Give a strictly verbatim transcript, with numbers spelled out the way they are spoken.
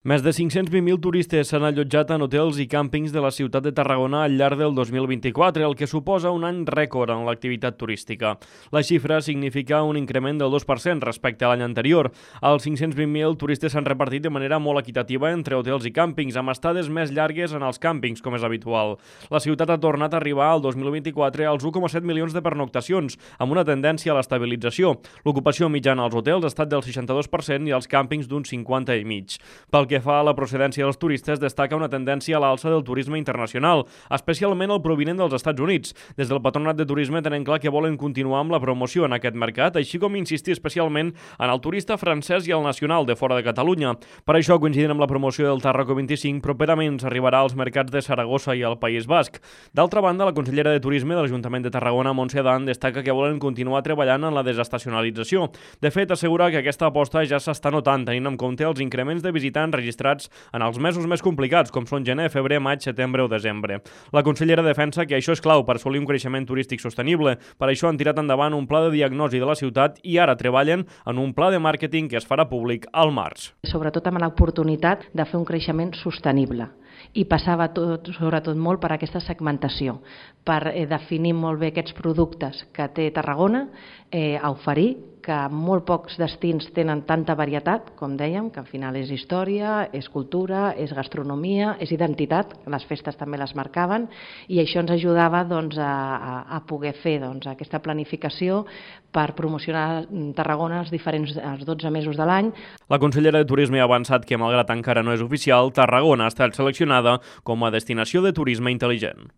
Més de cinc-cents vint mil turistes s'han allotjat en hotels i càmpings de la ciutat de Tarragona al llarg del dos mil vint-i-quatre, el que suposa un any rècord en l'activitat turística. La xifra significa un increment del dos per cent respecte a l'any anterior. Els cinc-cents vint mil turistes s'han repartit de manera molt equitativa entre hotels i càmpings, amb estades més llargues en els càmpings, com és habitual. La ciutat ha tornat a arribar al dos mil vint-i-quatre als u coma set milions de pernoctacions, amb una tendència a l'estabilització. L'ocupació mitjana als hotels ha estat del seixanta-dos per cent i als càmpings d'un cinquanta i mig. Pel que fa a la procedència dels turistes, destaca una tendència a l'alça del turisme internacional, especialment el provinent dels Estats Units. Des del Patronat de Turisme tenen clar que volen continuar amb la promoció en aquest mercat, així com insistir especialment en el turista francès i el nacional de fora de Catalunya. Per això, coincidint amb la promoció del Tarraco vint-i-cinc, properament s'arribarà als mercats de Saragossa i al País Basc. D'altra banda, la consellera de Turisme de l'Ajuntament de Tarragona, Montse Adán, destaca que volen continuar treballant en la desestacionalització. De fet, assegura que aquesta aposta ja s'està notant, tenint en compte els increments de visitants registrats en els mesos més complicats, com són gener, febrer, maig, setembre o desembre. La consellera defensa que això és clau per assolir un creixement turístic sostenible. Per això han tirat endavant un pla de diagnosi de la ciutat i ara treballen en un pla de màrqueting que es farà públic al març. Sobretot amb l'oportunitat de fer un creixement sostenible. I passava tot, sobretot molt per aquesta segmentació, per eh, definir molt bé aquests productes que té Tarragona eh, a oferir, que molt pocs destins tenen tanta varietat, com dèiem, que al final és història, és cultura, és gastronomia, és identitat, les festes també les marcaven, i això ens ajudava doncs, a, a poder fer doncs, aquesta planificació per promocionar Tarragona els diferents els dotze mesos de l'any. La consellera de Turisme ha avançat que, malgrat encara no és oficial, Tarragona ha estat seleccionada com a destinació de turisme intel·ligent.